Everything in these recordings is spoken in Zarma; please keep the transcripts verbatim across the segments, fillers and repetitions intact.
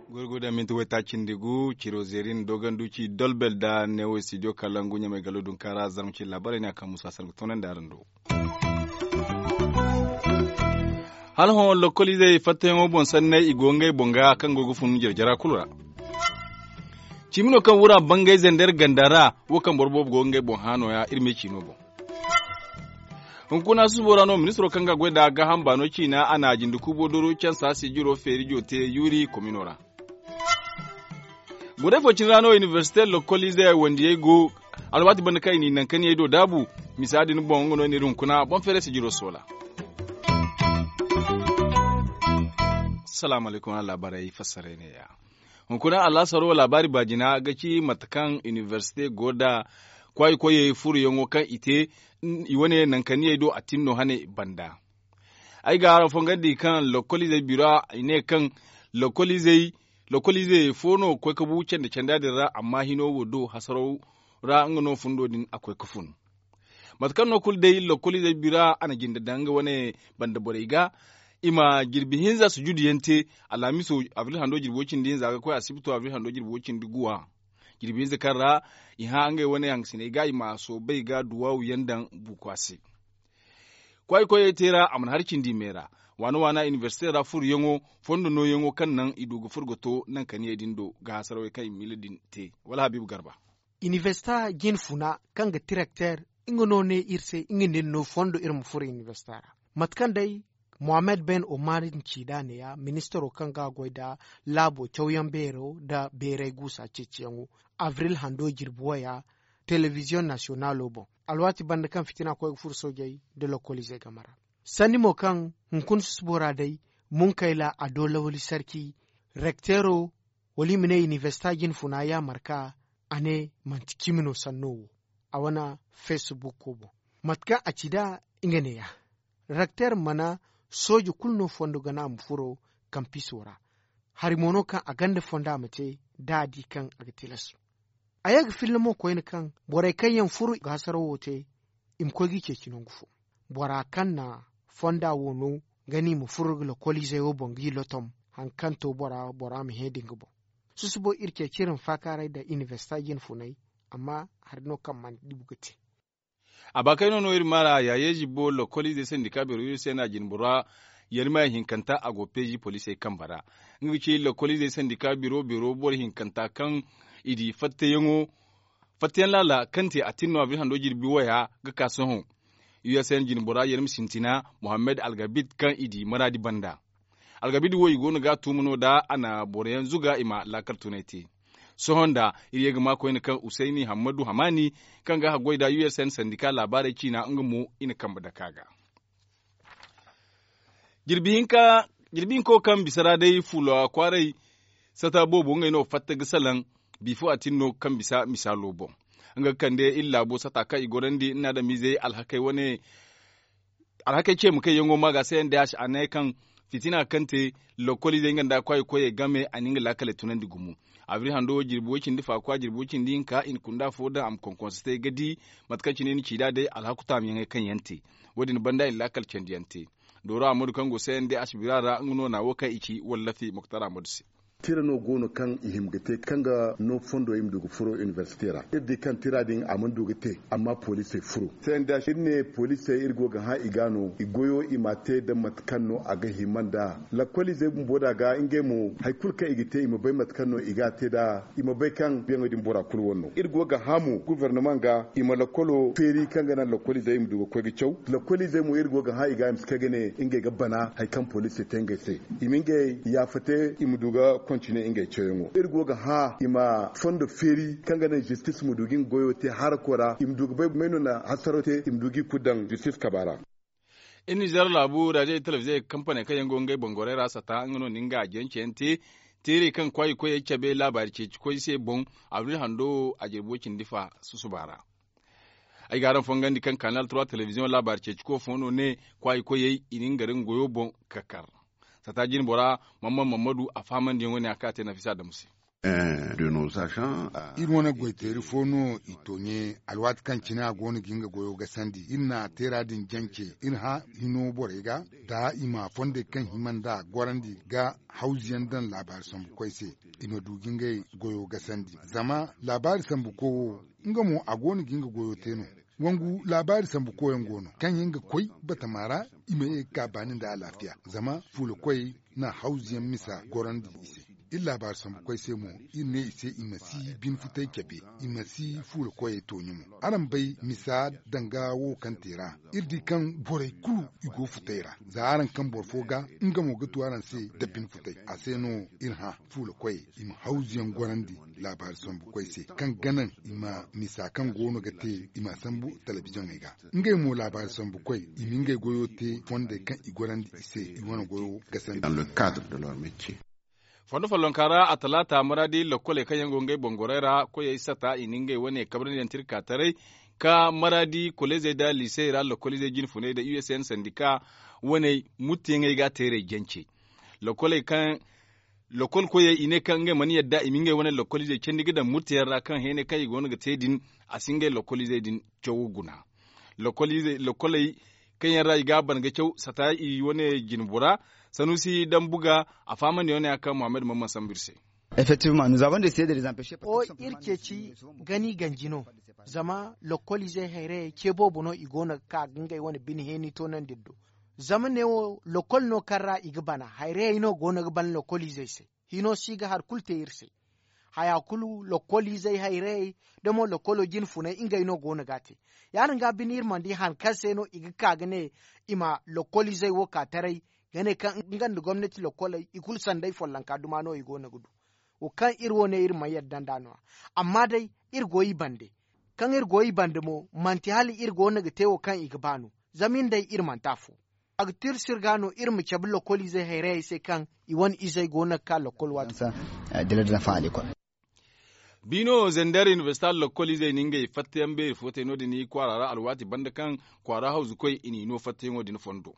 Gurguda minti wayta cindi gu ciro zeerin dogandu ci dolbel da neewo studio kalangu ɲamay galo dunkaara zarma ci laabaray ne a kaŋ musa salga toonandi araŋ do. Hala hõ lokoliizey fattayaŋo boŋ sanney i go ngey boŋ ga kaŋ go ga fun jare-jara kulu ra. Ciimi no kaŋ wura bangayzey nda iri ganda ra wo kaŋ boro boobo go ngey boŋ hã nooya iri me ciino boŋ. Hunkuna susubo ra no ministiro kaŋ ga goy nda gaaham baano ciina a na a jinde kuubo doro cansa sijiro feerijo te yuuri komino ra. Goray fo cine ra no inibersite lokoliize wandiyey go alwaati banda kaŋ i n'i naŋ kaniyey do daabu. Misa din boŋ nga no ni iri hunkuna boŋ feeray sijiro soola. Salaamu alaykum araŋ laabaarey fassaray neeya. Hunkuna alaasaro laabaari baajina ga ci mate kaŋ inibersite go nda kwaayikoyey furoyaŋo kaŋ i te i wane naŋ kaniyey do a tin no hane banda. Ay ga araŋ fongandi kaŋ lokoliizey bira i ne kaŋ lokoliizey fo no ga koy ga bu candi-canda din ra amma hino wo do hasaraw ra nga no fundo din a koy ga fun. Mate kaŋ no kulu day lokoliizey bira a na jinde daŋ nga wane banda borey ga i ma jirbi hinza sujudu yaŋ te. Alhamiso abril hando jirbi wo- cindi hinza ga koy asibito abril hando jirbi wo- cindi guwa. Jirbi hinza kaŋ ra i hã ngey wane hangasiney ga i ma soobay ga duwaawu yaŋ daŋ buuko a se. Kwaay koyey te ra a mana hari cindi i me ra waana waana inibersite ra furuyaŋo fondo nooyaŋo kaŋ naŋ i du ga furo ga to naŋ kaniyey din do ga hasarawey kaŋ i miila din te. Wala habiibu garba. Inibersita jine funa kaŋ ga tirakter nga no ne iri se nga ne ni no fondo iri ma furo inibersita ra. Mate kaŋ day mohammed ben omar din ci nd'a neeya ministaro kaŋ ga a goy nda laabo cawyaŋ beero nda beeray guusa ceeciyaŋo abril hando jirbi waya telebiziyoŋ nasiyonalo boŋ. Alwaati banda kaŋ fitina koy ga furo soojey nda lokoliizey game ra sanni mo kaŋ hunkuna susubo ra day munkayla a do lawali sarki rekteero wala i ma ne inibersita jine funa ya marka a ne manti cimi no sanno wo. A wane fesibukko boŋ mate kaŋ a ci nd'a nga neeya rekteer mana sooje kulu no fondo gana a ma furo kampiso ra. Hari mo no kaŋ a gonda fondo a ma te da a di kaŋ a ga tilas. A ye ga filla mo koyne kaŋ borey kaŋ yaŋ furo ga hasaraw wo te i ma koy ga i ceeci nangu fo. Bora kaŋ na fonda wo no gana i ma furo ga lokoliizey wo boŋ ga i lotom hari kaŋ to bora bora ma hẽ din ga boŋ. Susubo iri ceeci iri ma faakaaray nda inibersita jine funay amma hari no kaŋ mana dibu ga te. A baakayno no iri maa ra yaayeezi bo lokoliizey sandika biro iri se no a jine bora yarmaya hinkanta a go peezi poliisey kambe ra. Nga ga ci lokoliizey sandika biro biro boro hinkanta kaŋ i di fattayaŋo fattayaŋ laala kaŋ te a tin no a biri hando jirbi waya ga ka sohõ. Usn jine bora yarma sintina mohammed algabit kaŋ i di maraadi banda. Algabit wo i go no ga a tuuma no da a na boroyaŋ zuga i ma laakal tunay te. Sohõ nda iri ye ga maa koyne kaŋ usayni hammadu hamaani kaŋ ga haggoy nda usn sandika laabaarey ciina nga mo i na kambe dake a ga. Jirbi hinka jirbi hinka wo kaŋ bisa ra day fuula kwaaray sata boobo ngey no fatta ga salaŋ. Bifo a tin no kaŋ bisa misaalo boŋ nga ga kande iri laabo sata kaŋ i gorandi nda adamizey alhakey wane alhakey ce ma kay yaŋo ma ga se nda a ne kaŋ fitina kaŋ te lokoliizey nga nda kwaay koyey game a na nga laakaley tunandi gumo. Abri hando jirbi way cindi faakwa jirbi way cindi hinka i na kunda fo daŋ a ma konkonse te ga di mate kaŋ cine i na ci nd'a day alhaku taamayaŋey kaŋ yaŋ te. Wo- din banda i na laakal candiyaŋ te. Dooro amadu kaŋ go se nda a si bira ra nga no na wo kaŋ i ci wallafi moktar amadu se. Tira no go no kaŋ i hima ga te kaŋ ga no fondo i ma du ga furo inibersite ra iri di kaŋ tira din a mana du ga te. Amma poliisey furo se nda iri ne poliisey iri go ga hã i ga no i goyo i m'a te nda mate kaŋ no a ga hima nd'a. Lakkoliizey bumbo da ga ngey mo hari kulu kaŋ i ga te i ma bay mate kaŋ no i ga a te nd'a i ma bay kaŋ biyaŋo din bora kulu wane no iri go ga hã mo guverneman ga i ma lakkolo feeri kaŋ ga naŋ lakkoliizey i ma du ga koy ga caw. Lakkoliizey mo iri go ga hã i ga i ma si kay ga ne ngey ga bana hari kaŋ poliisey te ngey se i ma ngey yaafa te i ma du ga kontine ngey cawyaŋo iri go ga hã i ma fondo feeri kaŋ ga naŋ zistis ma du ga nga goyo te harako ra i ma du ga bay may no na hasaro te i ma du ga i kulu daŋ zistis kaba ra. Iri nizer laabu raadiyo telebizey kampaney kaŋ yaŋ go ngey boŋ gorey ra sata nga no na nga ajanceyaŋ te. Teerey kaŋ kwaay koyey cabe laabaari ceeci koy se boŋ abril hando a jirbo cindi fa susuba ra. Ay ga araŋ fongandi kaŋ kanal trois telebiziyoŋ laabaari ceeci ko fo no ne kwaay koyey i na nga ra nga goyo boŋ kakar. Sata jine bora mamman mammadu a fahamandiyaŋo ne a kaŋ a te nafisa adamu se. Iri wane goyteeri fo no i toonye alwaati kaŋ cine a go no ga nga goyo gasandi iri na a teera din jance iri hã hino borey ga nda i ma fondey kaŋ hima nd'a gorandi ga hawzu yaŋ daŋ laabaari sambu koy se. I ma du ga ngey goyo gasandi zama laabaari sambu koy wo nga mo a go no ga nga goyo te no. Wangu laabaari sambu koyaŋ go no kaŋ yaŋ ga koy batama ra i ma ye ga ka baani nda alaafiya zama fuula koyey na hawzu yaŋ misa gorandi i se. Iri laabaari sambu koy se mo iri ne i se i ma si bine futay cabe, i ma si fuula koyey tooɲe mo. Araŋ bay misa danga wo kaŋ te ra iri di kaŋ borey kulu i go futay ra. Za araŋ kaŋ boro fo ga nga mo ga tu araŋ se nda bine futay a se no iri hã fuula koyey i ma hawzu yaŋ gorandi laabaari sambu koy se kaŋ ga naŋ i ma misa kaŋ go no ga te i m'a sambu talabizoŋey ga. Ngey mo laabaari sambu koy i ma ngey goyo te fondey kaŋ i gorandi i se i wane goyo ga sandi. Fondo follonka ra a talaata maradi lokkoley kaŋ yaŋ go ngey boŋ gorey ra koyey sata i na ngey wane kabrandi yaŋ tirka taray ka maradi kolleezey nda liisey ra lokkoliizey jinfuney nda u s n sandika waney muttiyaŋey ga a teerey jance. Lokkoley kaŋ lokkol koyey i ne kaŋ ngey mana yadda i ma ngey wane lokkoliizey candi ga daŋ murteyaŋ ra kaŋ heeney kaŋ i go no ga te din a si ngey lokkoliizey din cawo guna. Lokkoley kaŋ yaŋ ra i ga a ban ga caw sata i wane jinbu ra sanusi dambu ga a fahamandi wane yaŋ kaŋ muhammad man man sambu iri se. Effectivement nous avons décidé de les empêcher. O iri ceeci gani ganji no zama lokkoliizey hayrayey ce boobo no i go no ga ka ga ngey wane bine heeni toonandi iri do. Zama neewo lokkol no kaŋ ra i ga bana hayrayey no go no ga bana lokkoliizey se. Hino si ga hari kulu te iri se. Haya kulu lokkoliizey hayrayey da mo lokkolo jinfunay ngey no go no ga a te. Ya- din ga bine iri mana di hari kaŋ se no i ga ka ga ne i ma lokkoliizey wo ka taray ga ne kaŋ nga nda gomnati lokkoley i kulu sanday follonka duma no i go no ga du. Wo kaŋ iri wo ne iri mana yadda nd'a no- ya. Amma day iri go i bande. Kaŋ iri go i bande mo manti hala iri go no ga te wo kaŋ i ga ba no. Zama iri day iri manti afo. A ga tirsir ga no iri ma cabe lokkoliizey hayrayey se kaŋ i wane izey go no ga ka lokkol waati. Biino zender inibersita lokkoliizey na ngey fattayaŋ beeri fo te no- din i kwaara ra alwaati banda kaŋ kwaara hawzukoy i n'i no fattayaŋo din fondo.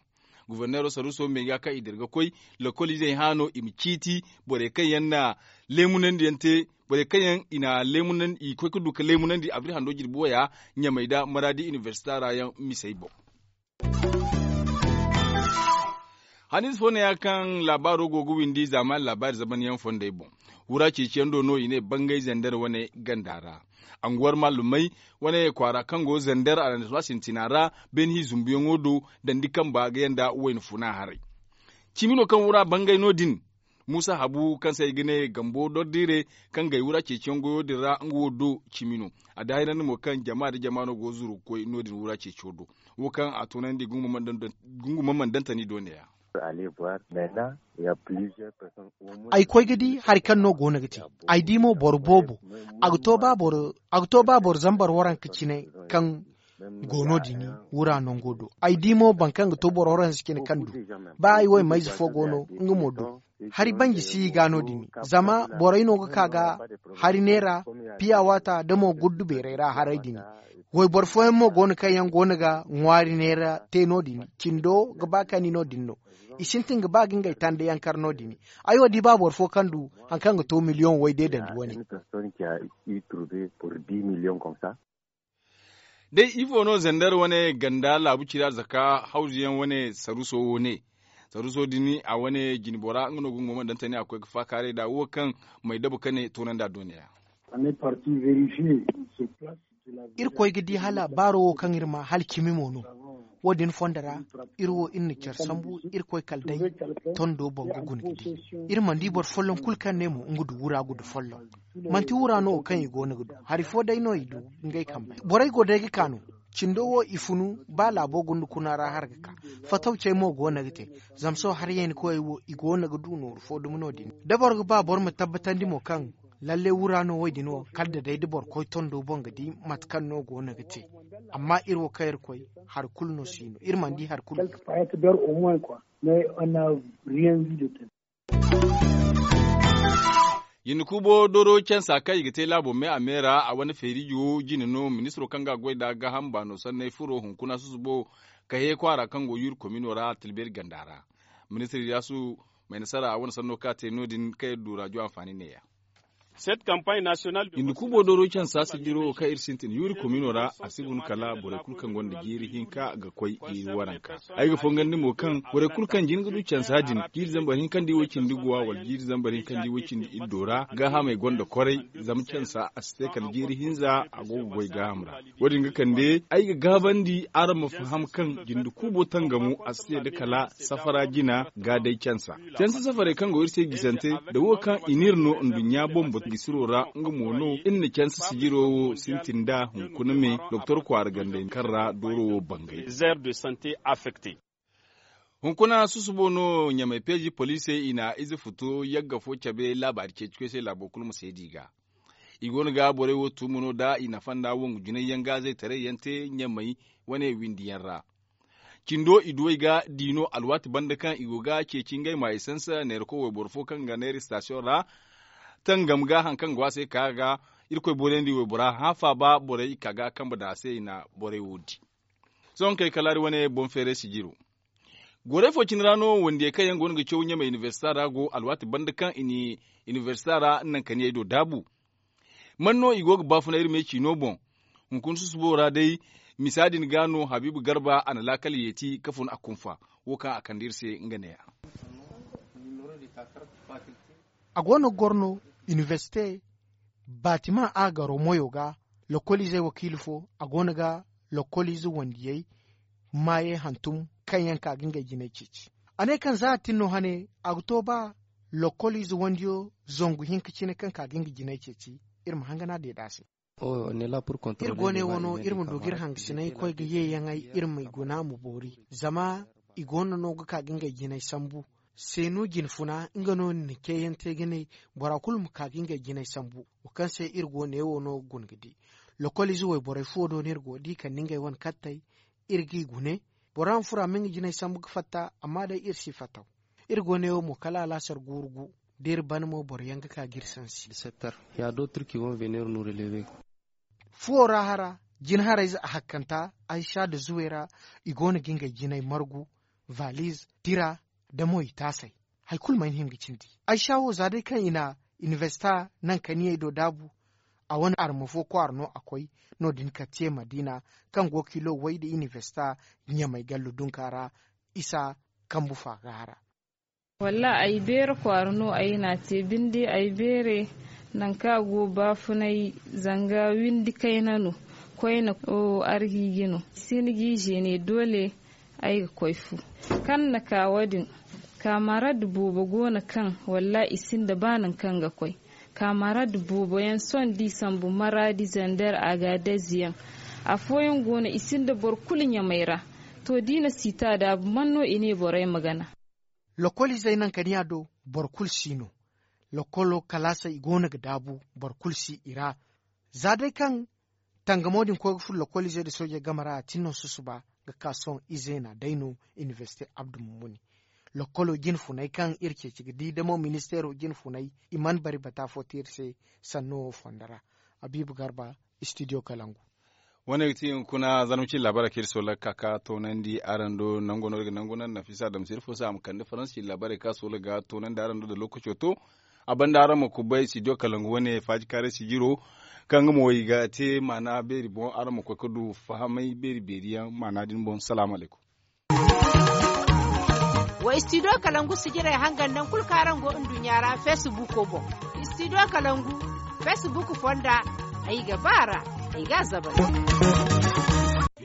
Goforneero saruuso me ga kaŋ i dira ga koy lokkoliizey hã no i ma ciiti borey kaŋ yaŋ na leemunandi yaŋ te borey kaŋ yaŋ i na leemunandi i koy ga du ga leemunandi abril hando jirbi waya ɲamey nda maraadi inibersita ra yaŋ misey boŋ. Haniize fo ne ya kaŋ laabaaro go ga windi zaamaani laabaari zamanyaŋ fondey boŋ. Wura ceeciyaŋ do no i ne bangay zender wane ganda ra. Anguwar mallumey wane kwaara kaŋ go zender a ra nda suma sintina ra beene hi zumbuyaŋo do dandi kamba ga yanda wayna funa haray. Cimi no kaŋ wura bangay no- din muusa habu kaŋ se ay ga ne gambo dordiire kaŋ gay wura ceeciyaŋ goyo din ra nga wo do cimi no. A daahirandi mo kaŋ jama nda jama no go ga zuru ga koy no- din wura ceeciyo do. Wo kaŋ a tunandi gungu ma mana dantani do ne- ya. Ay koy ga di hari kaŋ no go no ga te. Ay di mo boro boobo a ga to ba boro zambar waranka cine kaŋ go no- din wura nango do. Ay di mo boro kaŋ ga to boro waranka cine kaŋ du ba ay wo ay mayze fo go no nga mo do. Hari banji si i ga no- din zama borey no ga ka ga hari neera piya waata da mo guddu beerey ra haray din. Wayboro fooyaŋ mo go no kaŋ yaŋ go no ga ŋwaari neera te no- din cindo ga ba kani no- din no. I sintin ga ba ga ngey tanda yaŋ kar no- din. Ay wo di ba boro fo kaŋ du hari kaŋ ga to miliyoŋ way deedandi wane. Day ifo no zander wane ganda laabu cira zaka hawzuyaŋ wane saruso wo ne. Saruso din a wane jinbora nga no ga nga mo mana dantani a ga koy ga faakaaray nd'a wo kaŋ may dabu kane toonandi a doone ya. Iri koy ga di hala baaro wo kaŋ iri ma hala cimi mo no. Wo- din fondo ra iri wo iri na care sambu iri koy kala day tondo boŋ ga guna ga di. Iri mana di boro folloŋ kulu kaŋ ne mo nga du wura gudu folloŋ. Manti wura no wo kaŋ i go no ga du hari fo day no i du ngey kambey borey go day ga ka no. Cindo wo i funu ba laabo gunda kuna ra har ga ka. Fataw cey mo go no ga te. Zama sohõ hari yayna koyey wo i go no ga du nooru fo dumi no- din da boro ga ba boro ma tabbatandi mo kaŋ lalle wura no wo- din wo kala da day da boro koy tondo boŋ ga di mate kaŋ no go no ga te. Amma iri wo kaŋ iri koy hari kulu no si no iri mana di hari kulu. Yindi kuubo doro cansa kaŋ i ga te laabo me a me ra a wane feerijo jine no ministiro kaŋ ga a goy nd'a gaaham baano sanney furo hunkuna susubo kahe kwaara kaŋ go yuuri komino ra tilbeeri ganda ra. Ministir yaasu may nasara a wane sanno kaŋ a te no- din kaŋ iri du raajo anfaani ne- ya. Jinde kuubo dooro cansa sijiro wo kaŋ iri sintin yuuri komino ra a si guna kala borey kulu kaŋ gonda jiiri hinka ga koy jiiri waranka. Ay ga fongandi mo kaŋ borey kulu kaŋ jin ga du cansa din jiiri zambar hinka nda iway cindi guwa wala jiiri zambar hinka nda iway cindi iddo ra gaahamey gonda koray. Zama cansa a si te kala jiiri hinza a go ga goy gaaham ra. Wo- din ga kande ay ga gaabandi araŋ ma faham kaŋ jinde kuubo tangamo a si te nda kala safara jina ga day cansa. Cansa safarey kaŋ go iri se gisante nda wo kaŋ i n'iri no nduɲɲa boŋ batu gisiro ra nga mo no iri na cansa sijiro wo sintin nd'a hunkuna me doktor kwaara gandey kaŋ ra dooro wo bangay. Hunkuna susubo no ɲamay peeji poliisey i na ize futo yagga fo cabe laabaari ceecikoy se laabo kulu ma seedi i ga. I go no ga borey wo tuumo no da i nafa nda wongu jinay yaŋ ga zaytaray yaŋ te ɲamay wane windi yaŋ ra. Cindo i duwey ga di no alwaati banda kaŋ i go ga ceeci ngey ma esansa neerakoy wayboro fo kaŋ ga neera istasiyoŋ ra. Tangam ga hari kaŋ go a se ka ga irkoy booriyandi waybora hã faaba borey ka ga kambe daŋ a se i na borey wo di. Sohõ kay kala hari wane boŋ feeray sijiro. Gorey fo cine ra no wandiyey kaŋ yaŋ go no ga caw ɲamey inibersita ra go alwaati banda kaŋ i na inibersita ra naŋ kaniyey do daabu. Man no i go ga baafunay iri me ciino boŋ? Hunkuna susubo ra day misa din ga no habiibu garba a na laakal yeeti ka fun a kunfa. Wo kaŋ a kande iri se nga neeya. A go no ga goro no inibersite baatimaŋ a garo moyo ga. Lokoliizey wakiila fo a go no ga lokoliize wandiyey maayey hantum kaŋ yaŋ ka ga ngey jinay ceeci. A ne kaŋ za a tin no hane a ga to ba lokoliize wandiyo zangu hinka cine kaŋ ka ga nga jinay ceeci. Iri ma hangana deeda a se. Iri go ne wo no iri ma du ga iri hangasinay koy ga yeeyaŋey iri ma i guna ma boori. Zama i go no no ga ka ga ngey jinay sambu. Seenu jinfuna nga no ni na ceeyaŋ te ga ne bora kulu ma ka ga ngey jinay sambu. Wo kaŋ se iri go ne wo no ga guna ga di lokoliize wayborey fuwo do no iri go ga di kala nda ngey wane kattey. Iri g'i gune bora ma fura ma nga jinay sambu ga fatta amma day iri si fattaw. Iri go ne wo mo kala alaasar guuru gu da iri ban mo boro yaŋ ga ka ga iri sansi. Fuwo ra hara jina harayze ahakkanta aysa nda zuway ra. I go no ga ngey jinay margu valiz tira nda mo i taasay. Hari kulu ma ay na hima ga cindi aysa wo za day kaŋ i na inibersita naŋ kaniyey do daabu. A wane arma fo kwaara no a koy no- din katiye madiina kaŋ go kilo way nda inibersita ɲamay gallu dunka ra. Isa kambu fa ga hara. Wallaahi ay beere kwaara no ay n'a te binde ay beere. Nangu kaŋ a go baafunay zanga windi kayna no koyne arhiiji no i si hin g'i zeene doole. Ay ga koy fu kaŋ na ka wo- din kamarad boobo go no kaŋ wallaahi i sinda ba nangu kaŋ ga koy. Kamarad boobo yaŋ sohõ da i sambu maraadi zander agadez yaŋ. Afooyaŋ go no i sinda boro kulu ɲamay ra. To da i na siita daabu man no i ne borey ma gana? Lokoliizey naŋ kaniya do boro kulu si no. Lokolo kalaasey i go no ga daabu boro kulu si i ra. Za day kaŋ tangamo din koy ga furo lokoliizey nda soojey game ra a tin no susuba ga ka sohõ izeena day no. Inibersite abdu mummuni lokolo jinfunay kaŋ iri ceeci ga di damo ministeero jinfunay i mana bari bata fo te iri se. Sanno wo fondo ra habiibu garba. Istidiyo kalangu. Wane ga ti hunkuna zarma cine laabaarey kaŋ iri soola ga ka ga toonandi araŋ do nango no iri ga nangu naŋ nafisa adamse iri fo se a ma kande faransi cine laabaarey kaŋ a soola ga toonandi araŋ do da lookaco to. A banda araŋ ma kubay studio kalangu wane faaji kaaray sijiro kaŋ nga mo i ga te maana beeri boŋ araŋ ma koy ga du fahamay beeri beeri yaŋ maana din boŋ salaamu alaykum. Wa studio kalangu sijirey hangan naŋ kulu kaŋ araŋ go nduɲɲa ra feesibuuko boŋ. Studio kalangu feesibuuko fonda ay ga ba ra ay ga a zabal.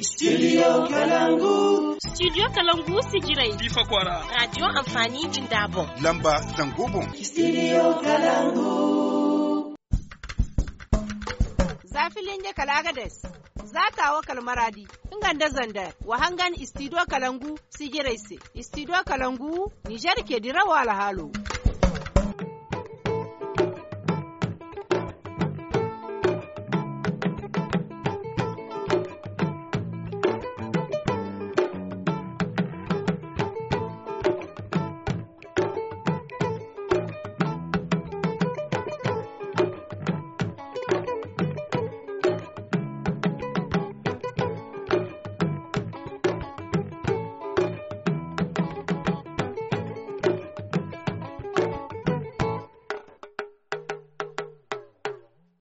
Studio kalangu. Studio kalangu sijirey diifa kwaara radio amfani jinda boŋ lamba zango boŋ. Studio kalangu. Za filinge kala agades, za taawo kala maraadi, nga nda zander wa hangan studio kalangu sijirey se. Studio kalangu nizer ke dirawo alhaalo.